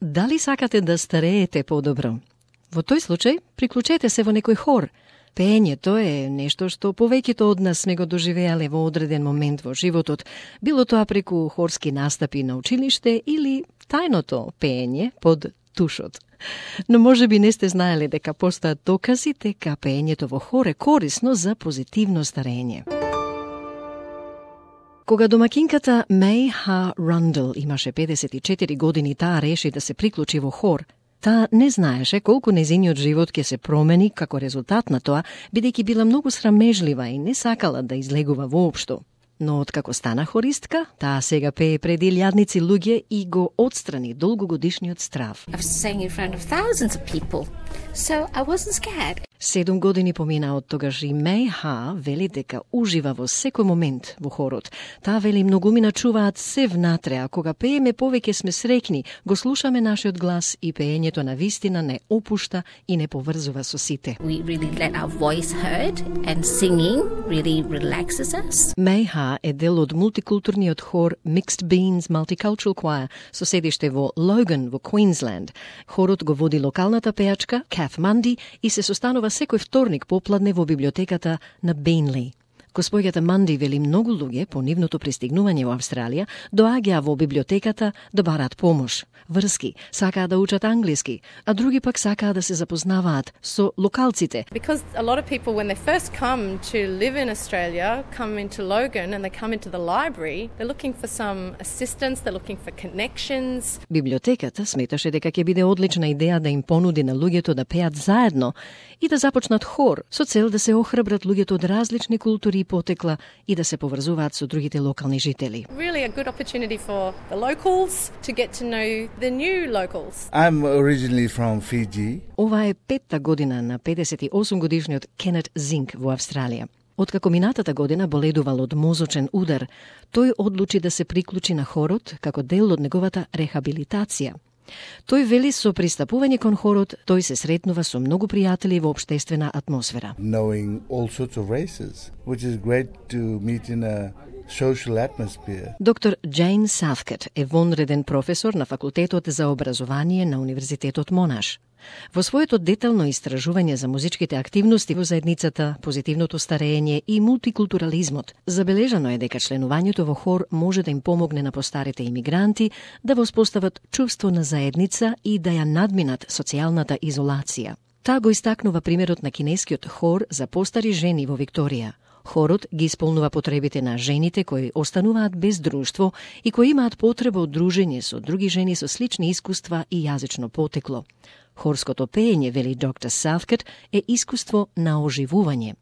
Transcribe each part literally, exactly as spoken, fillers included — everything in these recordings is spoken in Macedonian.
Дали сакате да стареете подобро? Во тој случај, приклучете се во некој хор. Пеењето е нешто што повеќето од нас сме го доживеале во одреден момент во животот, било тоа преку хорски настапи на училиште или тајното пеење под тушот. Но може би не сте знаеле дека постојат докази дека пеењето во хор е корисно за позитивно старење. Кога домакинката Меј Ха Рандел имаше педесет и четири години, таа реши да се приклучи во хор. Таа не знаеше колку нејзиниот живот ќе се промени како резултат на тоа, бидејќи била многу срамежлива и не сакала да излегува воопшто. Но откако стана хористка, таа сега пее пред илјадници луѓе и го отстрани долгогодишниот страв. I was singing in front of thousands of people, so I wasn't scared. Седум години помина од тогаш и Меј Ха вели дека ужива во секој момент во хорот. Таа вели многумина чуваат се внатре, а кога пееме повеќе сме среќни, го слушаме нашиот глас и пеењето на вистина не опушта и не поврзува со сите. We really let our voice heard and singing really relaxes us. Меј Ха е дел од мултикултурниот хор Mixed Beans Multicultural Choir со седиште во Логан во Квинсленд. Хорот го води локалната пејачка Каth Манди и се состанува секој вторник попладне во библиотеката на Бейнли. Госпоѓата Манди вели многу луѓе по нивното пристигнување во Австралија доаѓаа во библиотеката да бараат помош, врски, сакаат да учат англиски, а други пак сакаат да се запознаваат со локалците. Because a lot of people when they first come to live in Australia come into Logan and they come into the library, they're looking for some assistance, they're looking for connections. Библиотеката сметаше дека ќе биде одлична идеја да им понуди на луѓето да пеат заедно и да започнат хор со цел да се охрабрат луѓето од различни култури и потекла и да се поврзуваат со другите локални жители. Really a good opportunity for the locals to get to know the new locals. I'm originally from Fiji. Ова е петта година на педесет и осум годишниот Кенет Зинк во Австралија. Откако минатата година боледувал од мозочен удар, тој одлучи да се приклучи на хорот како дел од неговата рехабилитација. Тој вели со пристапување кон хорот, тој се сретнува со многу пријатели во општествена атмосфера. Knowing all sorts of races, which is great to meet in a social atmosphere. Доктор Джейн Сафкет е вонреден професор на факултетот за образование на Универзитетот Монаш. Во своето детално истражување за музичките активности во заедницата, позитивното старење и мултикултурализмот, забележано е дека членувањето во хор може да им помогне на постарите имигранти да воспостават чувство на заедница и да ја надминат социјалната изолација. Таа го истакнува примерот на кинескиот хор за постари жени во Викторија. Хорот ги исполнува потребите на жените кои остануваат без друштво и кои имаат потреба од дружење со други жени со слични искуства и јазично потекло. Хорското пеење, вели доктор Сафкет, е искуство на оживување.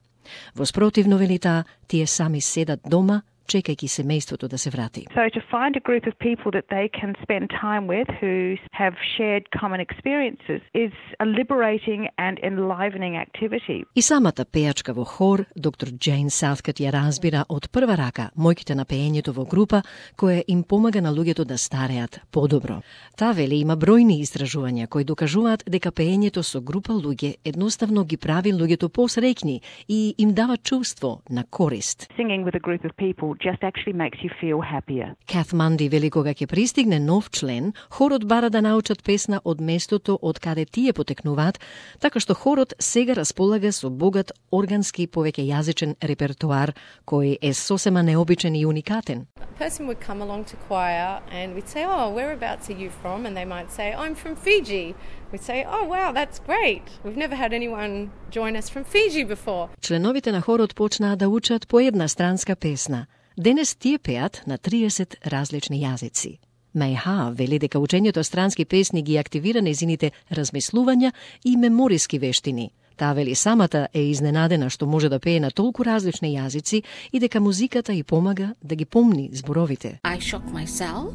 Во спротивно, вели таа, тие сами седат дома, чекајќи семејството да се врати. So to find a group of people that they can spend time with who have shared common experiences is a liberating and enlivening activity. И самата пејачка во хор, доктор Джейн Сафкет ја разбира од прва рака моќите на пеењето во група, која им помага на луѓето да стареат подобро. Таа вели има бројни истражувања кои докажуваат дека пеењето со група луѓе едноставно ги прави луѓето посреќни и им дава чувство на корист. Singing with a group of people just actually makes you feel happier. Каth Манди вели кога ќе пристигне нов член, хорот бара да научат песна од местото од каде тие потекнуваат, така што хорот сега располага со богат органски повеќе јазичен репертоар кој е сосема необичен и уникатен. A person would come along to choir and we'd say, "Oh, whereabouts are you from?" And they might say, "I'm from Fiji." We'd say, "Oh, wow, that's great. We've never had anyone join us from Fiji before." Членовите на хорот почнаа да учат по една странска песна. Денес тие пеат на триесет различни јазици. Меј Ха вели дека учењето странски песни ги активира нејзините размислувања и мемориски вештини. Таа вели самата е изненадена што може да пее на толку различни јазици и дека музиката ѝ помага да ги помни зборовите. I shock myself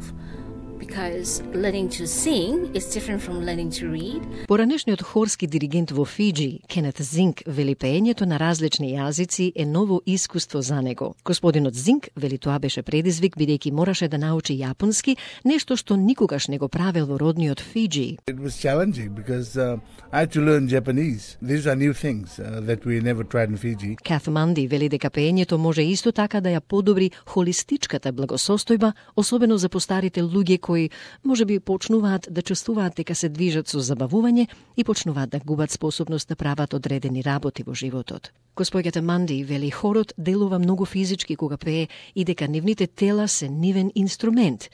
because learning to sing is different from learning to read. Поранешниот хорски диригент во Фиджи, Кенет Зинк, вели пеењето на различни јазици е ново искуство за него. Господинот Зинк вели тоа беше предизвик бидејќи мораше да научи јапонски, нешто што никогаш не го правел во родниот Фиджи. It was challenging because uh, I had to learn Japanese. These are new things uh, that we never tried in Fiji. Каth Манди вели дека пеењето може исто така да ја подобри холистичката благосостојба, особено за постарите луѓе кои можеби почнуваат да чувствуваат дека се движат со забавување и почнуваат да губат способност да прават одредени работи во животот. Госпоѓата Манди вели хорот делува многу физички кога пее и дека нивните тела се нивен инструмент.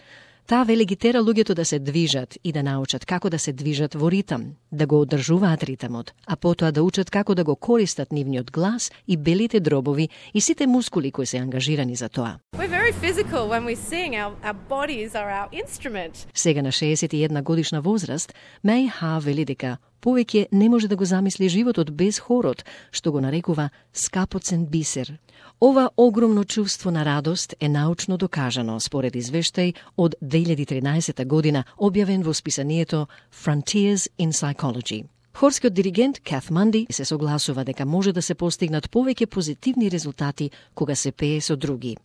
Таа вели ги тера луѓето да се движат и да научат како да се движат во ритам, да го одржуваат ритамот, а потоа да учат како да го користат нивниот глас и белите дробови и сите мускули кои се ангажирани за тоа. We're very physical when we sing. Our, our bodies are our instrument. Сега на шеесет и една годишна возраст, Меј Ха вели дека повеќе не може да го замисли животот без хорот, што го нарекува скапоцен бисер. Ова огромно чувство на радост е научно докажано според извештај од две илјади и тринаесета година, објавен во списанието Frontiers in Psychology. Хорскиот диригент Каth Манди се согласува дека може да се постигнат повеќе позитивни резултати кога се пее со други.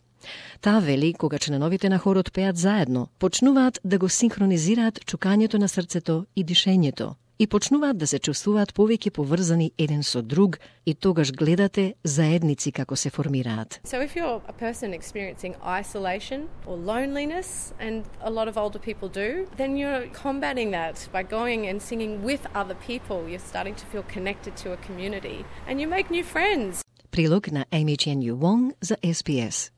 Таа вели, кога членовите на хорот пеат заедно, почнуваат да го синхронизираат чукањето на срцето и дишењето и почнуваат да се чувствуваат повеќе поврзани еден со друг и тогаш гледате заедници како се формираат. So if you're a person experiencing isolation or loneliness, and a lot of older people do, then you're combating that by going and singing with other people. You're starting to feel connected to a community and you make new friends. Прилог на Amy Chen Yu Wong за С Б С.